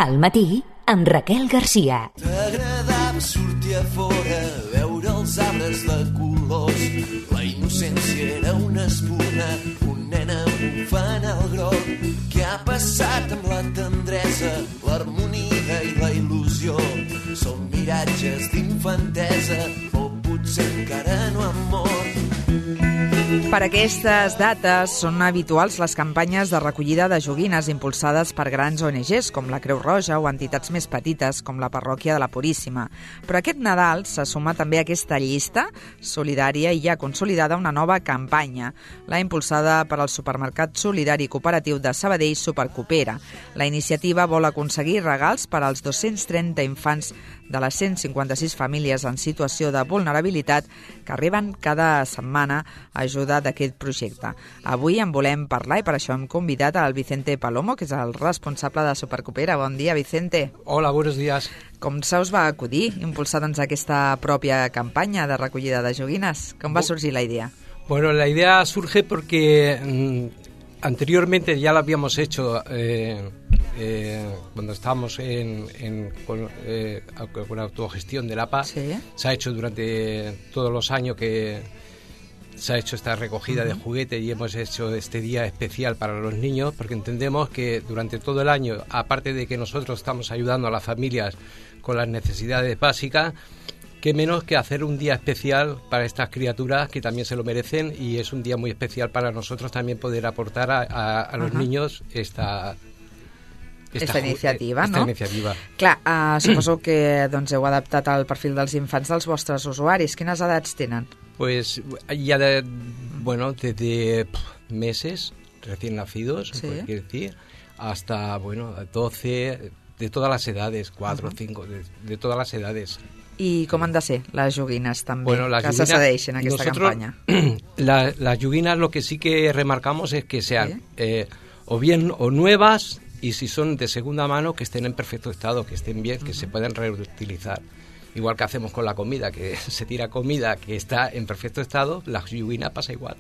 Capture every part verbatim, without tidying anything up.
Al matí, amb Raquel Garcia. T'agradava sortir a fora, veure els arbres de colors. La innocència era una espuna, un nen bufant al groc. Què ha passat amb la tendresa, l'harmonia i la il·lusió? Són miratges d'infantesa, o potser encara no han mort. Per aquestes dates són habituals les campanyes de recollida de joguines impulsades per grans O N Ges com la Creu Roja o entitats més petites com la Parròquia de la Puríssima. Però aquest Nadal se suma també a aquesta llista solidària i ja consolidada una nova campanya, la impulsada per al supermercat solidari cooperatiu de Sabadell Supercoopera. La iniciativa vol aconseguir regals per als dos-cents trenta infants de les cent cinquanta-sis famílies en situació de vulnerabilitat que arriben cada setmana a ajuda d'aquest projecte. Avui en volem parlar i per això hem convidat al Vicente Palomo, que és el responsable de Supercoopera. Bon dia, Vicente. Hola, buenos días. Com se us va acudir impulsar doncs, aquesta pròpia campanya de recollida de joguines? Com va sorgir la idea? Bueno, la idea surge porque mmm, anteriormente ya la habíamos hecho eh, eh, cuando estábamos en, en, con, eh, con la autogestión de la P A. ¿Sí? Se ha hecho durante todos los años que se ha hecho esta recogida uh-huh. de juguetes y hemos hecho este día especial para los niños porque entendemos que durante todo el año, aparte de que nosotros estamos ayudando a las familias con las necesidades básicas, qué menos que hacer un día especial para estas criaturas que también se lo merecen, y es un día muy especial para nosotros también poder aportar a, a, a los uh-huh. niños esta... Esta, esta iniciativa, esta no? iniciativa. Clar, uh, suposo que doncs, heu adaptat al perfil dels infants dels vostres usuaris. Quines edats tenen? Pues ya de, bueno, desde meses recién nacidos, sí. se puede decir, hasta, bueno, doce, de todas las edades, cuatro, uh-huh. cinco, de, de todas las edades. I com han de ser les joguines també, bueno, las que joguines, se cedeixen a aquesta nosotros, campanya? La, las joguines lo que sí que remarcamos es que sean ¿sí? eh, o bien o nuevas, y si son de segunda mano, que estén en perfecto estado, que estén bien, que uh-huh. se pueden reutilizar. Igual que hacemos con la comida, que se tira comida que está en perfecto estado, la joguina pasa igual.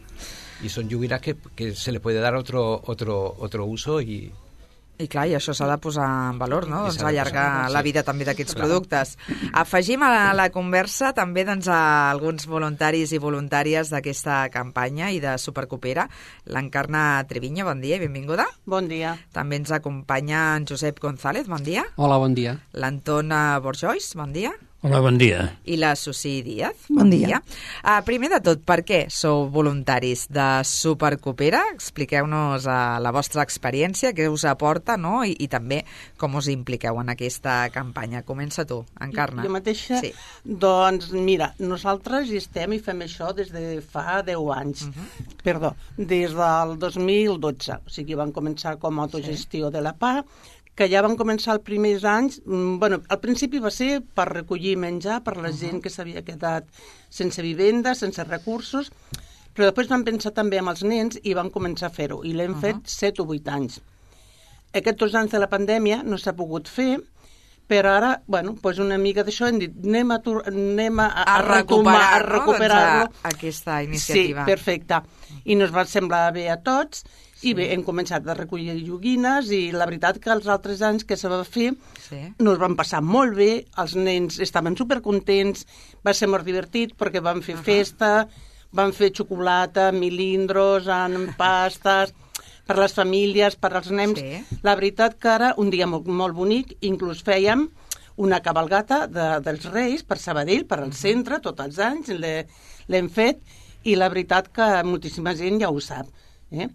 Y son joguines que, que se le puede dar otro, otro, otro uso y... I clar, i això s'ha de posar en valor, no? Doncs allargar la vida també d'aquests productes. Afegim a la, a la conversa també doncs, a alguns voluntaris i voluntàries d'aquesta campanya i de Supercoopera. L'Encarna Treviño, bon dia i benvinguda. Bon dia. També ens acompanya en Josep González, bon dia. Hola, bon dia. L'Anton Borjois, bon dia. Hola, bon dia. I la Susi Díaz. Bon, bon dia. dia. Uh, primer de tot, per què sou voluntaris de Supercoopera? Expliqueu-nos uh, la vostra experiència, què us aporta, no? I, i també com us impliqueu en aquesta campanya. Comença tu, Encarna. Jo mateixa? Sí. Doncs mira, nosaltres hi estem i fem això des de fa deu anys. Uh-huh. Perdó, des del dos mil dotze. O sigui, van començar com a autogestió sí. de la P A, que ja van començar els primers anys, bueno, al principi va ser per recollir menjar per la uh-huh. gent que s'havia quedat sense vivenda, sense recursos, però després van pensar també en els nens i van començar a fer-ho, i l'hem uh-huh. fet set o vuit anys. Aquests dos anys de la pandèmia no s'ha pogut fer, però ara, bueno, doncs una mica d'això hem dit, anem a, anem a, a, a recuperar, a recuperar-lo. No? Doncs aquesta iniciativa. Sí, perfecte. I ens va semblar bé a tots, i bé, hem començat a recollir joguines i la veritat que els altres anys que se va fer sí. nos van passar molt bé, els nens estaven supercontents, va ser molt divertit perquè van fer uh-huh. festa, van fer xocolata, milindros, en pastes, per les famílies, per als nens. Sí. La veritat que ara, un dia molt, molt bonic, inclús fèiem una cabalgata de, dels Reis per Sabadell, per al centre, tots els anys, l'hem fet, i la veritat que moltíssima gent ja ho sap. Eh?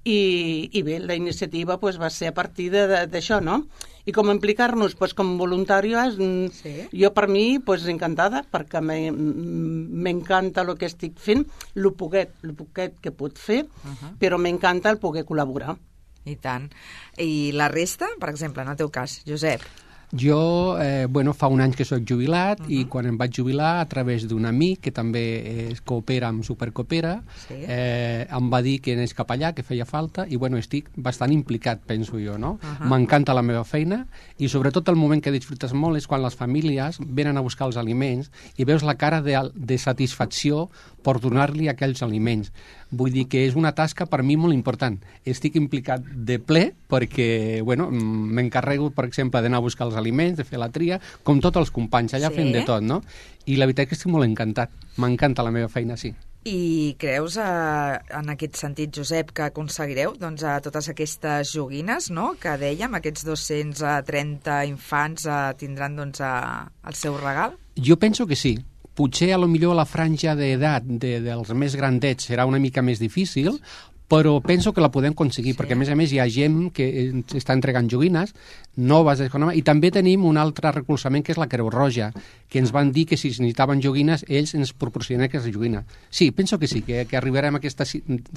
I, i bé, la iniciativa pues, va ser a partir d'això, no? I com implicar-nos pues, com voluntàries, sí. jo per mi pues, encantada, perquè m'encanta el que estic fent, el poquet, el poquet que puc fer, uh-huh. però m'encanta el poder col·laborar. I tant. I la resta, per exemple, en el teu cas, Josep? Jo, eh, bueno, fa un any que soc jubilat uh -huh. i quan em vaig jubilar, a través d'un amic que també es coopera amb Supercoopera, sí. eh, em va dir que anés cap allà, que feia falta, i bueno, estic bastant implicat, penso jo, no? Uh -huh. M'encanta la meva feina i sobretot el moment que disfrutes molt és quan les famílies venen a buscar els aliments i veus la cara de, de satisfacció per donar-li aquells aliments. Vull dir que és una tasca per mi molt important. Estic implicat de ple perquè, bueno, m'encarrego, per exemple, d'anar a buscar els aliments, de fer la tria, com tots els companys, allà sí. fent de tot, no? I la veritat que estic molt encantat. M'encanta la meva feina, sí. I creus, eh, en aquest sentit, Josep, que aconseguireu doncs, a totes aquestes joguines, no?, que dèiem, aquests dos-cents trenta infants eh, tindran doncs, a, el seu regal? Jo penso que sí. Potser a lo millor la franja d'edat de, dels més grandets serà una mica més difícil, però penso que la podem aconseguir, sí. perquè a més a més hi ha gent que està entregant joguines noves, i també tenim un altre recolzament que és la Creu Roja, que ens van dir que si necessitaven joguines ells ens proporcionen aquestes joguines. Sí, penso que sí, que, que arribarem a aquesta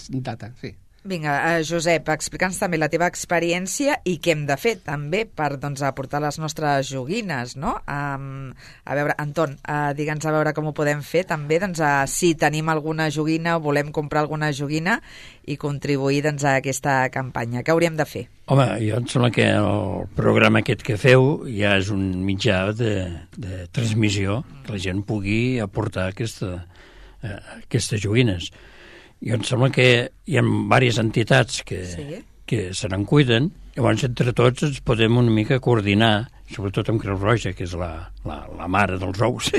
data, sí. Vinga, Josep, explica'ns també la teva experiència i què hem de fer també per doncs, aportar les nostres joguines, no? Um, a veure, Anton, uh, digue'ns a veure com ho podem fer també, doncs, uh, si tenim alguna joguina o volem comprar alguna joguina i contribuir doncs, a aquesta campanya. Què hauríem de fer? Home, jo em sembla que el programa aquest que feu ja és un mitjà de, de transmissió que la gent pugui aportar aquesta, uh, aquestes joguines. Jo em sembla que hi ha diverses entitats que, sí. que se n'en cuiden, llavors entre tots ens podem una mica coordinar, sobretot amb Creu Roja, que és la, la, la mare dels ous,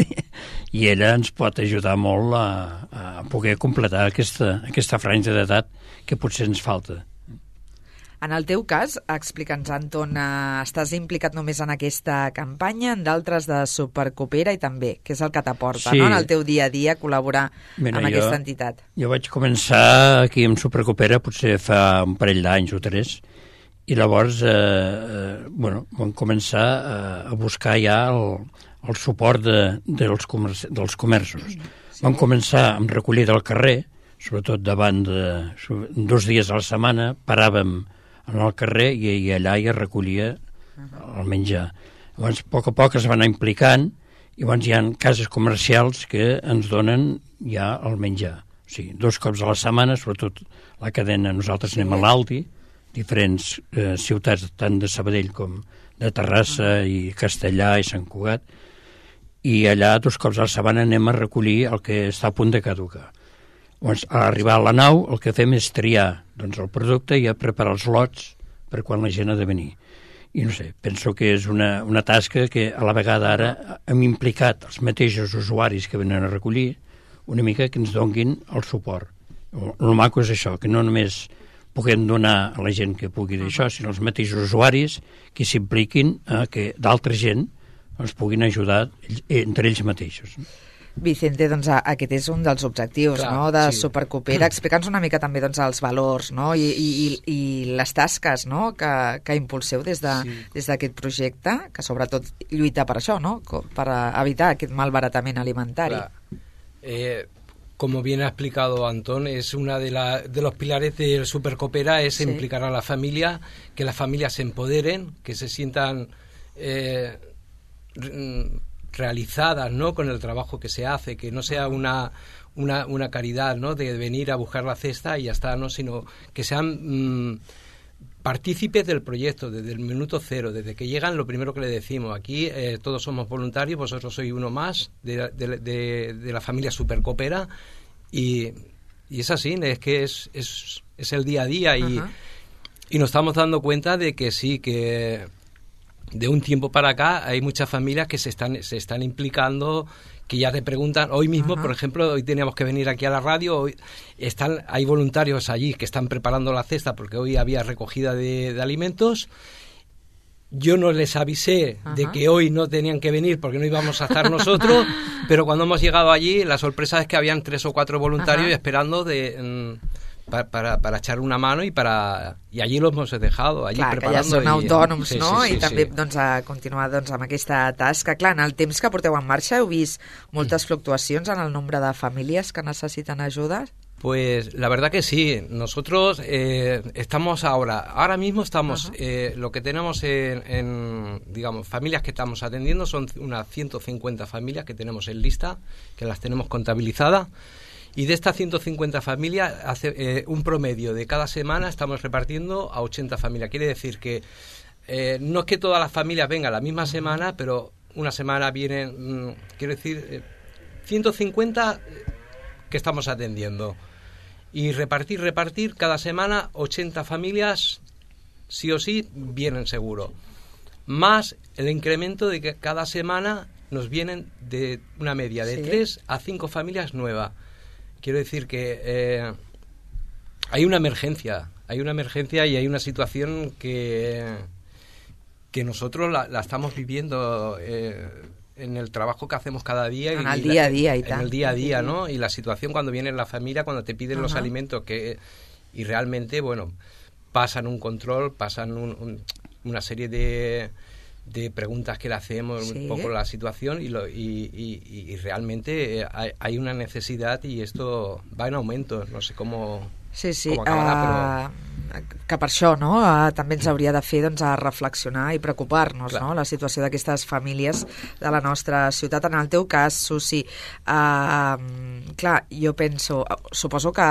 i ella ens pot ajudar molt a, a poder completar aquesta, aquesta franja d'edat que potser ens falta. En el teu cas, explica'ns, Anton, eh, estàs implicat només en aquesta campanya, en d'altres de Supercoopera i també, què és el que t'aporta, sí. no? en el teu dia a dia col·laborar Mira, amb jo, aquesta entitat? Jo vaig començar aquí amb Supercoopera potser fa un parell d'anys o tres, i llavors eh, eh, bueno, vam començar eh, a buscar ja el, el suport de, dels, comerç, dels comerços. Sí. Vam començar amb recollida al carrer, sobretot davant de dos dies a la setmana, paràvem en el carrer i, i allà hi recollia el menjar. Llavors, a poc a poc es van anar implicant i llavors hi ha cases comercials que ens donen ja el menjar. O sigui, dos cops a la setmana, sobretot la cadena, nosaltres anem a l'Aldi, diferents eh, ciutats, tant de Sabadell com de Terrassa i Castellà i Sant Cugat, i allà dos cops a la setmana anem a recollir el que està a punt de caducar. Llavors, a arribar a la nau, el que fem és triar doncs, el producte i a preparar els lots per quan la gent ha de venir. I no sé, penso que és una, una tasca que a la vegada ara hem implicat els mateixos usuaris que venen a recollir una mica que ens donguin el suport. El, el maco és això, que no només puguem donar a la gent que pugui d'això, sinó els mateixos usuaris que s'impliquin a que d'altra gent els puguin ajudar entre ells mateixos. Vicente, doncs aquest és un dels objectius Clar, no, de sí. Supercoopera. Explica'ns una mica també doncs, els valors no, i, i, i les tasques no, que, que impulseu des d'aquest de, sí. projecte, que sobretot lluita per això, no, per evitar aquest malbaratament alimentari. Eh, como bien ha explicado Antón, es una de, la, de los pilares del Supercoopera, es sí. implicar a la familia, que las familias se empoderen, que se sientan eh, realizadas, ¿no?, con el trabajo que se hace, que no sea una una, una caridad, ¿no?, de venir a buscar la cesta y ya está, ¿no?, sino que sean mmm, partícipes del proyecto desde el minuto cero, desde que llegan. Lo primero que le decimos aquí, eh, todos somos voluntarios, vosotros sois uno más de, de, de, de la familia Supercoopera, y, y es así, es que es, es, es el día a día, y, y nos estamos dando cuenta de que sí, que de un tiempo para acá hay muchas familias que se están se están implicando, que ya te preguntan. Hoy mismo, uh-huh. por ejemplo, hoy teníamos que venir aquí a la radio, hoy están hay voluntarios allí que están preparando la cesta porque hoy había recogida de, de alimentos. Yo no les avisé uh-huh. de que hoy no tenían que venir porque no íbamos a estar nosotros, pero cuando hemos llegado allí, la sorpresa es que habían tres o cuatro voluntarios uh-huh. esperando de... Mm, Para, para, para echar una mano i para, i allí los hemos dejado allí Clar, preparando. Que ja són i, autònoms, sí, no? Sí, sí, I també sí. doncs, a continuar doncs, amb aquesta tasca. Clar, en el temps que porteu en marxa heu vist moltes fluctuacions en el nombre de famílies que necessiten ajuda? Pues la verdad que sí. Nosotros eh, estamos ahora, ahora mismo estamos, eh, lo que tenemos en, en, digamos, familias que estamos atendiendo son unas ciento cincuenta familias que tenemos en lista, que las tenemos contabilizadas. Y de estas ciento cincuenta familias, hace, eh, un promedio de cada semana estamos repartiendo a ochenta familias. Quiere decir que eh, no es que todas las familias vengan la misma semana, pero una semana vienen, mmm, quiero decir, eh, ciento cincuenta que estamos atendiendo. Y repartir, repartir, cada semana ochenta familias, sí o sí, vienen seguro. Más el incremento de que cada semana nos vienen de una media de tres sí. a cinco familias nuevas. Quiero decir que eh, hay una emergencia, hay una emergencia y hay una situación que, que nosotros la, la estamos viviendo eh, en el trabajo que hacemos cada día. En y el día a día y tal. tal. En el día a día, ¿no? Y la situación cuando viene la familia, cuando te piden uh-huh. los alimentos que y realmente, bueno, pasan un control, pasan un, un, una serie de, de preguntas que le hacemos, sí. un poco la situación y, lo, y, y, y realmente hay, hay una necesidad y esto va en aumento. No sé cómo... Sí, sí, acabarà, uh, però... que per això no? uh, també ens hauria de fer doncs, a reflexionar i preocupar-nos no? la situació d'aquestes famílies de la nostra ciutat. En el teu cas, Susi, uh, clar, jo penso, suposo que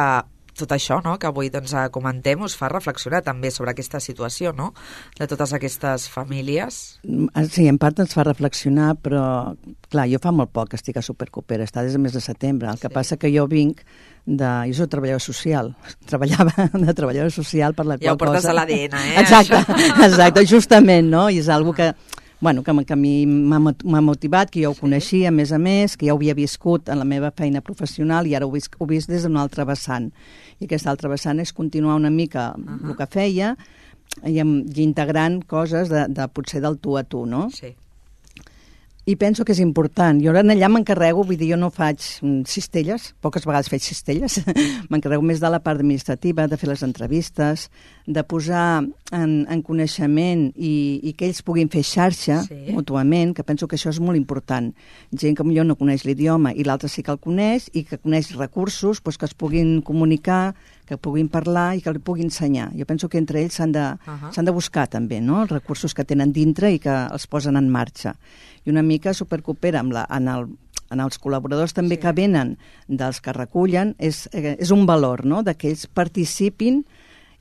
tot això no? que avui doncs, comentem us fa reflexionar també sobre aquesta situació no? de totes aquestes famílies. Sí, en part ens fa reflexionar, però clar, jo fa molt poc que estic a Supercoopera, està des del mes de setembre. El que sí. passa que jo vinc de... Jo soc treballadora social, treballava de treballadora social per la ja qual cosa... Ja ho portes a l'A D N, eh? Exacte, exacte, justament, no? I és una que, bueno, que, que a mi m'ha motivat, que jo ho coneixia, a més a més, que ja ho havia viscut en la meva feina professional i ara ho he vist, ho he vist des d'un altre vessant. I aquesta altra vessant és continuar una mica uh-huh. el que feia i, i integrant coses de, de potser del tu a tu, no? Sí. I penso que és important. Jo allà m'encarrego, vull dir, jo no faig cistelles, poques vegades faig cistelles, m'encarrego més de la part administrativa, de fer les entrevistes, de posar en, en coneixement i, i que ells puguin fer xarxa sí. mútuament, que penso que això és molt important. Gent que millor no coneix l'idioma i l'altre sí que el coneix i que coneix recursos doncs, que es puguin comunicar, que puguin parlar i que li puguin ensenyar. Jo penso que entre ells s'han de, uh-huh. s'han de buscar també no? els recursos que tenen dintre i que els posen en marxa. I una mica Supercoopera amb la, en, el, en els col·laboradors també sí. que venen dels que recullen, és, eh, és un valor no? de que ells participin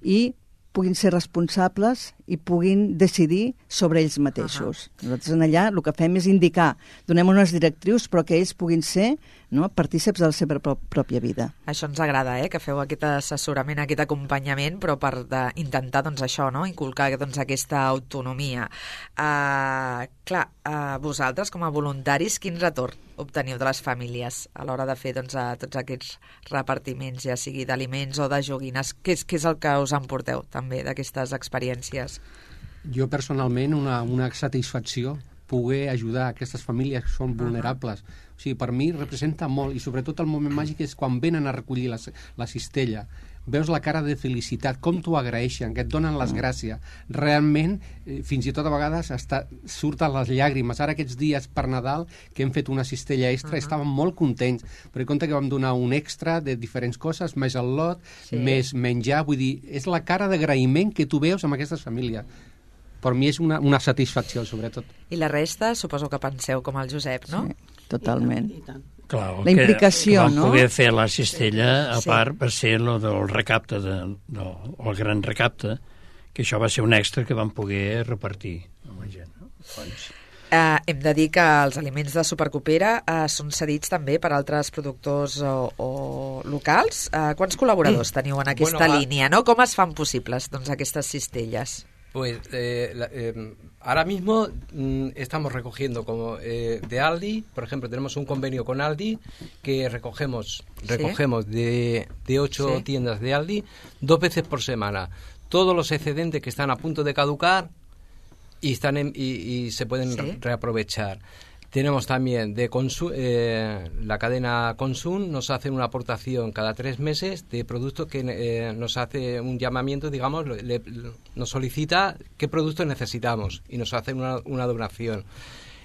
i puguin ser responsables i puguin decidir sobre ells mateixos. Uh-huh. Nosaltres en allà el que fem és indicar, donem unes directrius però que ells puguin ser no, partíceps de la seva pro- pròpia vida. Això ens agrada, eh, que feu aquest assessorament, aquest acompanyament, però per de, intentar doncs, això, no, inculcar doncs, aquesta autonomia. Uh, clar, uh, vosaltres com a voluntaris, quin retorn obteniu de les famílies a l'hora de fer doncs, a tots aquests repartiments, ja sigui d'aliments o de joguines? Què és, què és el que us emporteu també d'aquestes experiències? Jo personalment una, una satisfacció poder ajudar aquestes famílies que són vulnerables. Uh-huh. O sigui, per mi representa molt, i sobretot el moment màgic és quan venen a recollir la, la cistella. Veus la cara de felicitat, com t'ho agraeixen, que et donen les gràcies. Realment, eh, fins i tot a vegades hasta surten les llàgrimes. Ara aquests dies per Nadal, que hem fet una cistella extra, uh-huh. estàvem molt contents, perquè compte que vam donar un extra de diferents coses, més el lot, sí. més menjar, vull dir, és la cara d'agraïment que tu veus amb aquestes famílies. Per mi és una, una satisfacció, sobretot. I la resta, suposo que penseu com el Josep, no? Sí, totalment. I tant, i tant. Clar, la implicació, que, que no? Vam poder fer la cistella, a sí. part, va ser lo del recapte, de, de, el gran recapte, que això va ser un extra que vam poder repartir amb la gent. No? Doncs... Uh, hem de dir que els aliments de Supercoopera uh, són cedits també per altres productors o, o locals. Uh, quants col·laboradors teniu en aquesta bueno, línia? No? Com es fan possibles doncs, aquestes cistelles? Pues eh, la, eh, ahora mismo mm, estamos recogiendo como eh, de Aldi, por ejemplo, tenemos un convenio con Aldi que recogemos recogemos ¿Sí? de, de ocho ¿Sí? tiendas de Aldi dos veces por semana. Todos los excedentes que están a punto de caducar y están en, y, y se pueden ¿Sí? re- reaprovechar. Tenemos también de Consum, eh, la cadena Consum nos hace una aportación cada tres meses de productos que eh, nos hace un llamamiento, digamos, le, le, nos solicita qué productos necesitamos y nos hace una, una donación.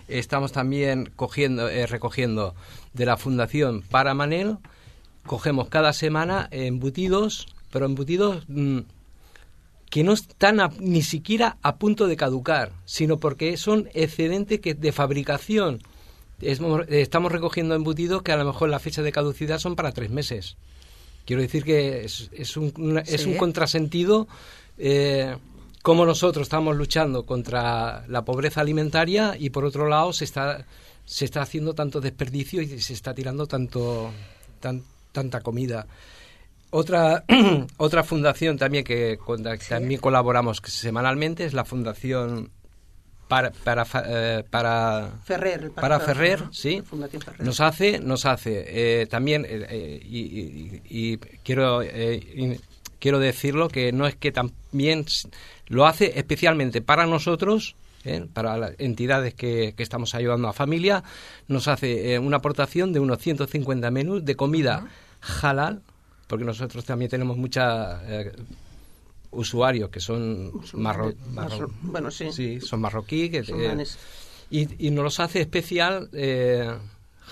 Estamos también cogiendo, eh, recogiendo de la Fundación Para Manel cogemos cada semana embutidos, pero embutidos mmm, que no están a, ni siquiera a punto de caducar, sino porque son excedentes que de fabricación. Es, estamos recogiendo embutidos que a lo mejor la fecha de caducidad son para tres meses. Quiero decir que es, es, un, una, ¿sí? es un contrasentido eh, cómo nosotros estamos luchando contra la pobreza alimentaria y por otro lado se está se está haciendo tanto desperdicio y se está tirando tanto tan, tanta comida. Otra otra fundación también que con la que ¿sí? también colaboramos semanalmente es la Fundación para para eh, para Ferrer, para Ferrer, Ferrer sí, Ferrer. nos hace nos hace eh, también eh, y, y, y quiero eh, y quiero decirlo que no es que también lo hace especialmente para nosotros, eh, para las entidades que, que estamos ayudando a familia, nos hace eh, una aportación de unos ciento cincuenta menús de comida uh-huh. halal, porque nosotros también tenemos mucha eh, usuarios que son marro, marro, bueno, sí. sí, son marroquí que, eh, y, y nos los hace especial eh,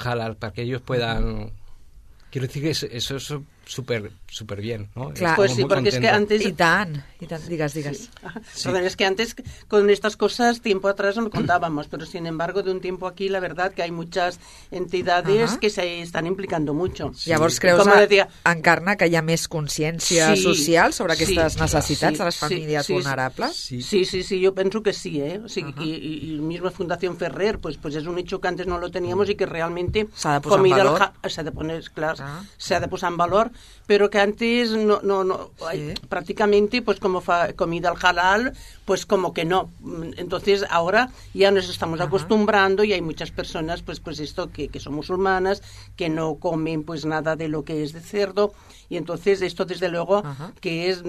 halal para que ellos puedan. Quiero decir que eso, eso es súper súper bien, ¿no? Claro, pues sí, porque contentos. Es que antes... Y tan, y tan, digas, digas. Sí. Sí. Perdón, es que antes con estas cosas tiempo atrás no contábamos, pero sin embargo de un tiempo aquí la verdad que hay muchas entidades uh-huh. que se están implicando mucho. Sí. Llavors creus, a, decía... Encarna, que hi ha més consciència sí, social sobre aquestes sí, necessitats sí, de les famílies sí, vulnerables? Sí. sí, sí, sí, yo pienso que sí, ¿eh? O sea, uh-huh. y, y, y misma Fundación Ferrer, pues, pues es un hecho que antes no lo teníamos uh-huh. y que realmente s'ha de posar en valor. Ja... S'ha de poner, clar, uh-huh. s'ha de posar en valor, pero que antes no, no, no sí. hay, prácticamente pues como fa, comida al halal, pues como que no. Entonces ahora ya nos estamos uh-huh. acostumbrando y hay muchas personas pues pues esto que, que son musulmanas, que no comen pues nada de lo que es de cerdo, y entonces esto desde luego uh-huh. que es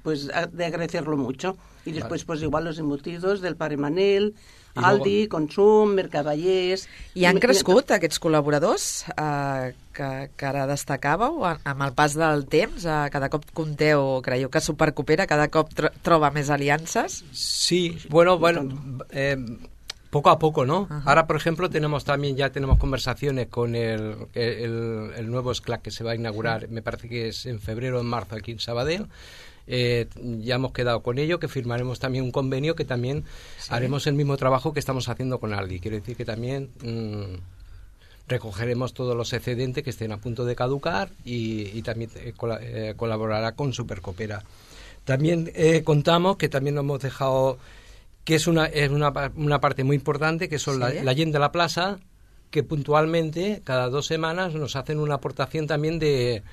pues de agradecerlo mucho. Y después vale. pues igual los embutidos del Pare Manel, I Aldi, luego... Consum, Mercadallers... I han crescut aquests col·laboradors eh, que, que ara destacàveu amb el pas del temps? Eh, cada cop compteu, creieu que Supercoopera cada cop tro troba més aliances? Sí, bueno, bueno eh, poco a poco, ¿no? Uh-huh. Ahora, por ejemplo, tenemos también, ya tenemos conversaciones con el, el, el nuevo S C L A C que se va a inaugurar, me parece que es en febrero o en marzo aquí en Sabadell. Eh, ya hemos quedado con ello, que firmaremos también un convenio que también sí. haremos el mismo trabajo que estamos haciendo con Aldi. Quiere decir que también mmm, recogeremos todos los excedentes que estén a punto de caducar y, y también eh, col eh, colaborará con Supercoopera. También eh, contamos que también nos hemos dejado, que es una, es una, una parte muy importante, que son ¿sí? la, la gent de la plaza, que puntualmente cada dos semanas nos hacen una aportación también de...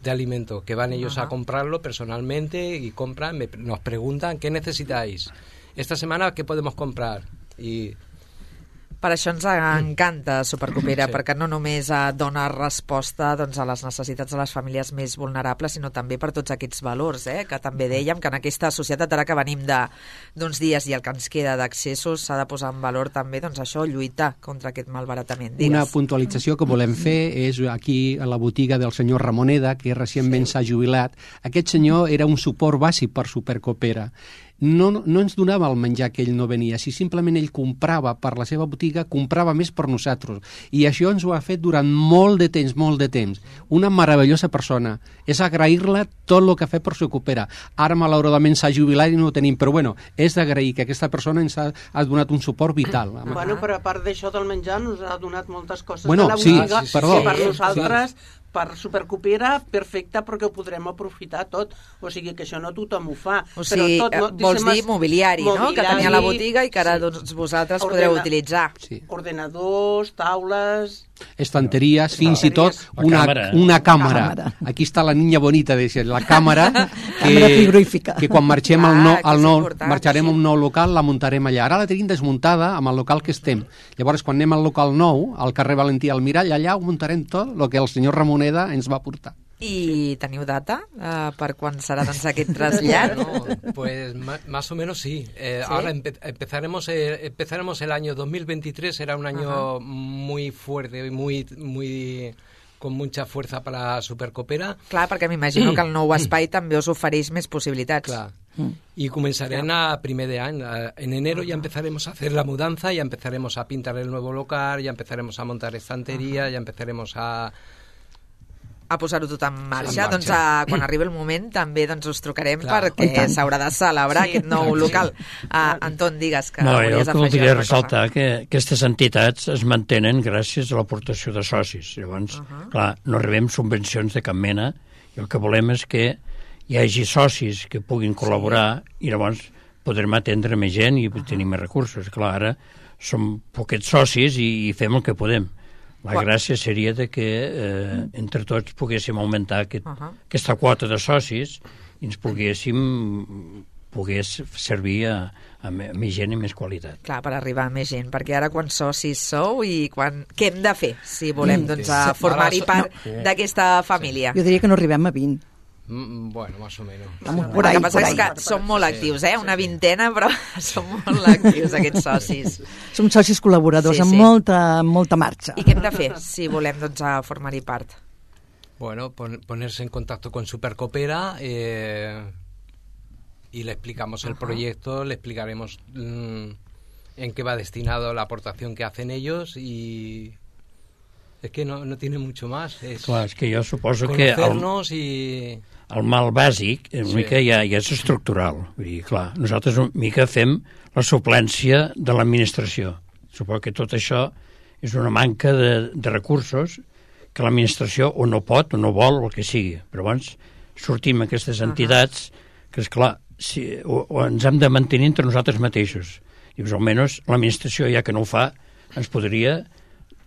de alimento, que van ellos uh-huh. a comprarlo personalmente y compran, me, nos preguntan ¿qué necesitáis? Esta semana ¿qué podemos comprar? Y per això ens encanta Supercoopera, sí. perquè no només dona resposta doncs, a les necessitats de les famílies més vulnerables, sinó també per tots aquests valors, eh? que també dèiem que en aquesta societat, ara que venim d'uns dies i el que ens queda d'accessos, s'ha de posar en valor també doncs, això, lluitar contra aquest malbaratament. Digues. Una puntualització que volem fer és aquí a la botiga del senyor Ramoneda, que recentment s'ha sí. jubilat. Aquest senyor era un suport bàsic per Supercoopera. No, no ens donava el menjar que ell no venia, si simplement ell comprava per la seva botiga, comprava més per nosaltres. I això ens ho ha fet durant molt de temps, molt de temps. Una meravellosa persona. És agrair-la tot el que ha fet per Supercoopera. Ara, malauradament, s'ha jubilat i no ho tenim, però bueno, és d'agrair que aquesta persona ens ha, ha donat un suport vital. Bueno, però a part d'això del menjar, ens ha donat moltes coses bueno, a la sí, botiga, sí, perdó, que per nosaltres... Sí. per Supercoopera perfecta perquè ho podrem aprofitar tot, o sigui que això no tothom ho fa. O sigui, però tot, no, vols dir mobiliari, mobiliari, no? Que tenia la botiga i que ara sí. doncs, vosaltres Ordena, podreu utilitzar. Sí. Ordenadors, taules... Estanteries, fins i tot una, una càmera. càmera. Aquí està la niña bonita, de ser, la càmera que, que quan marxem al nou, al nou marxarem a un nou local, la muntarem allà. Ara la tenim desmuntada amb el local que estem. Llavors, quan anem al local nou, al carrer Valentí Almirall, allà ho muntarem tot el que el senyor Ramoneda ens va portar. ¿Y teniu data uh, per quan serà doncs, aquest trasllat? No, pues más o menos sí. Eh, ¿Sí? Ahora empe empezaremos, eh, empezaremos el año dos mil veintitrés, será un año uh-huh. muy fuerte, muy, muy con mucha fuerza para Supercoopera. Clar, perquè m'imagino que el nou espai també us ofereix més possibilitats. Clar. Y comenzarán a primer de año. En enero ya empezaremos a hacer la mudanza, ya empezaremos a pintar el nuevo local, ya empezaremos a montar estantería, ya empezaremos a... a posar-ho tot en marxa, en doncs marxa. a, quan arribi el moment també doncs, us trucarem Clar. perquè s'haurà de celebrar Sí. aquest nou Clar, local. Uh, Anton, digues que No, jo volies que afegir voldria alguna cosa. ressaltar que aquestes entitats es mantenen gràcies a l'aportació de socis. Llavors, uh -huh. clar, no rebem subvencions de cap mena i el que volem és que hi hagi socis que puguin col·laborar sí. i llavors podrem atendre més gent i uh -huh. tenir més recursos. Clar, ara som poquets socis i, i fem el que podem. La Quan... gràcia seria de que eh, entre tots poguéssim augmentar aquest, uh -huh. aquesta quota de socis i ens poguéssim pogués servir a, a, a més gent i més qualitat. Clar, per arribar a més gent, perquè ara quants socis sou i quan... què hem de fer si volem doncs, a Sí. formar-hi Ara, part no. d'aquesta família? Jo diria que no arribem a vint. Mm, Bueno, más o menos. Vamos, El por ahí, que passa por és ahí. que són molt actius, eh? Una vintena, però són molt actius aquests socis. Som socis col·laboradors Sí, amb sí. molta, amb molta marxa. I què hem de fer si volem doncs, a formar-hi part? Bueno, pon- ponerse en contacto con Supercoopera eh, y le explicamos el proyecto, le explicaremos mm, en qué va destinado la aportación que hacen ellos y es que no, no tiene mucho más. Es Clar, és que jo suposo que el, conocernos y... el mal bàsic una Sí. mica ja, ja és estructural. Vull dir, clar, nosaltres una mica fem la suplència de l'administració. Suposo que tot això és una manca de, de recursos que l'administració o no pot o no vol o el que sigui. Però abans sortim aquestes entitats que, esclar, si, o, o ens hem de mantenir entre nosaltres mateixos. Dius, almenys l'administració, ja que no ho fa, ens podria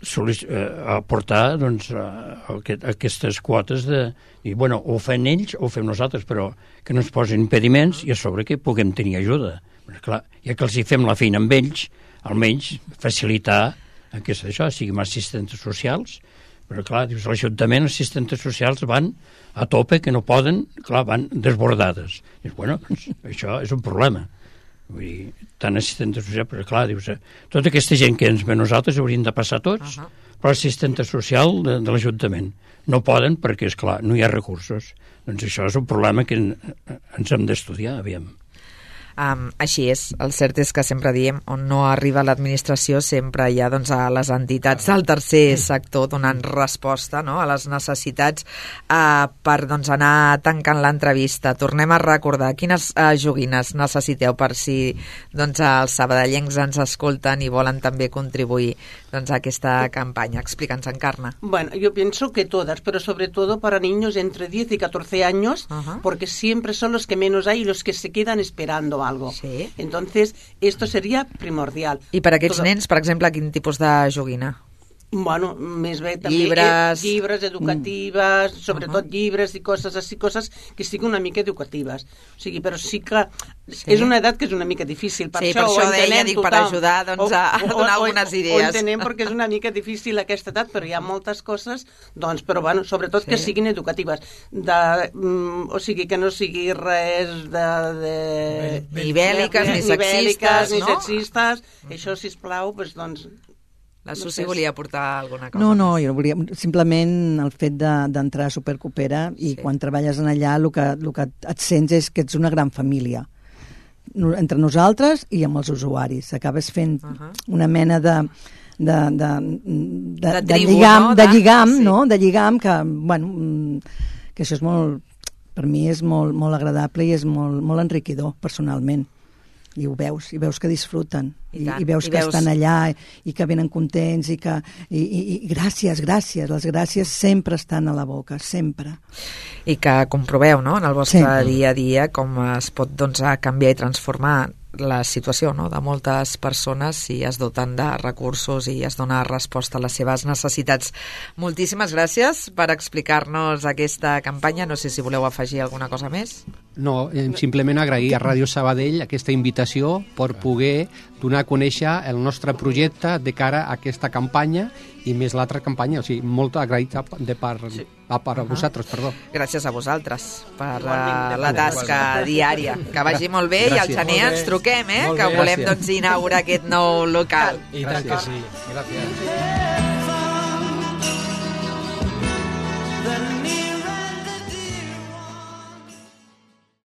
solic- eh, aportar doncs, a, a, aquest- a aquestes quotes de... I, bueno, o ho fan ells o ho fem nosaltres, però que no ens posin impediments i a sobre que puguem tenir ajuda. Però, clar, ja que els hi fem la feina amb ells, almenys facilitar aquest, això, siguin assistents socials, però clar, dius, l'Ajuntament, els assistents socials van a tope, que no poden, clar, van desbordades. Dius, bueno, doncs, això és un problema. Vull dir, tant assistents socials, però clar, dius, eh, tota aquesta gent que ens ve nosaltres haurien de passar tots, uh -huh. però l'assistent social de, de l'Ajuntament. No poden perquè, és clar, no hi ha recursos. Doncs això és un problema que en, ens hem d'estudiar, aviam. Um, així és, el cert és que sempre diem on no arriba l'administració sempre hi ha doncs, a les entitats del tercer sector donant resposta, no?, a les necessitats uh, per doncs, anar tancant l'entrevista. Tornem a recordar quines uh, joguines necessiteu per si doncs, els sabadellencs ens escolten i volen també contribuir doncs, a aquesta campanya. Explica'ns, Encarna. Bueno, yo pienso que todas, pero sobre todo para niños entre diez y catorce años, Ajá. porque siempre son los que menos hay y los que se quedan esperando algo. Sí. Entonces, esto sería primordial. I per a aquests Todo- nens, per exemple, quin tipus de joguina? Bueno, més bé també Llibres. eh, llibres educatives, sobretot llibres i coses així, coses que siguin una mica educatives. O sigui, però sí que Sí. és una edat que és una mica difícil. Per Sí, això, per això ho deia, entenem dic, per tothom. ajudar, doncs, a donar algunes idees. Ho entenem perquè és una mica difícil aquesta edat, però hi ha moltes coses, doncs, però bueno, sobretot Sí. que siguin educatives. De, mm, o sigui, que no sigui res de... de Ni bèl·liques, ni bèl·liques, sexistes, ni no? sexistes. Això, sisplau, doncs, doncs La No Susi sé. volia portar alguna cosa. No, no, jo volia simplement el fet de- d'entrar a Supercoopera i Sí. quan treballes en allà el que, el que et sents és que ets una gran família No- entre nosaltres i amb els usuaris. Acabes fent Uh -huh. una mena de de, de, de, De de, tribu, lligam, no? de De- lligam, sí. no? De lligam que, bueno, mm, que això és molt, per mi és molt, molt agradable i és molt, molt enriquidor personalment. I ho veus, i veus que disfruten, I i, tant, i veus i que veus- estan allà i, i que venen contents i que... I, i, i gràcies, gràcies, les gràcies sempre estan a la boca, sempre. I que comproveu, no?, en el vostre Sí. dia a dia com es pot doncs, a canviar i transformar la situació, no?, de moltes persones si es doten de recursos i es dona resposta a les seves necessitats. Moltíssimes gràcies per explicar-nos aquesta campanya. No sé si voleu afegir alguna cosa més. No, eh, simplement agrair a Ràdio Sabadell aquesta invitació per poder donar a conèixer el nostre projecte de cara a aquesta campanya i més l'altra campanya, o sigui, molt agraït de part, sí. a part a vosaltres, perdó. Gràcies a vosaltres per Igualment. uh, la tasca diària. Que vagi molt bé i al Gràcies. gener Molt bé. ens truquem, eh?, Molt que bé, volem gràcies. doncs, inaugurar aquest nou local. Y tal que sí. Gracias.